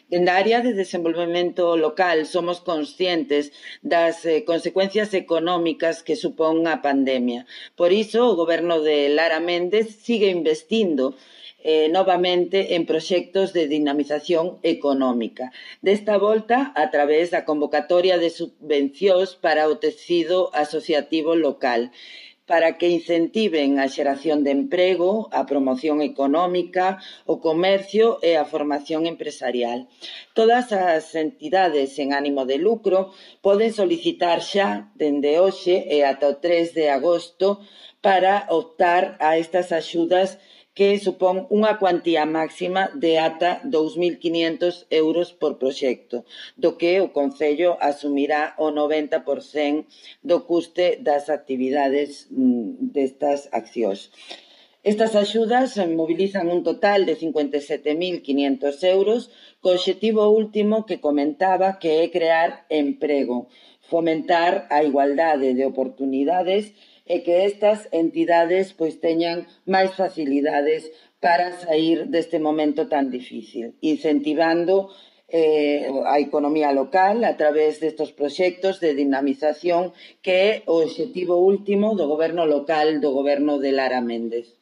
Dende a área de desenvolvemento local somos conscientes das consecuencias económicas que supón a pandemia. Por iso, o Goberno de Lara Méndez sigue investindo novamente en proxectos de dinamización económica. Desta volta, a través da convocatoria de subvencións para o tecido asociativo local, para que incentiven a xeración de emprego, a promoción económica, o comercio e a formación empresarial. Todas as entidades en ánimo de lucro poden solicitar xa dende hoxe e ata o 3 de agosto para optar a estas axudas que supón unha cuantía máxima de ata 2.500 euros por proxecto, do que o Concello asumirá o 90% do custe das actividades destas accións. Estas axudas mobilizan un total de 57.500 euros, co obxectivo último que comentaba, que é crear emprego, fomentar a igualdade de oportunidades e que estas entidades teñan máis facilidades para saír deste momento tan difícil, incentivando a economía local a través destes proxectos de dinamización que é o obxectivo último do Goberno local do Goberno de Lara Méndez.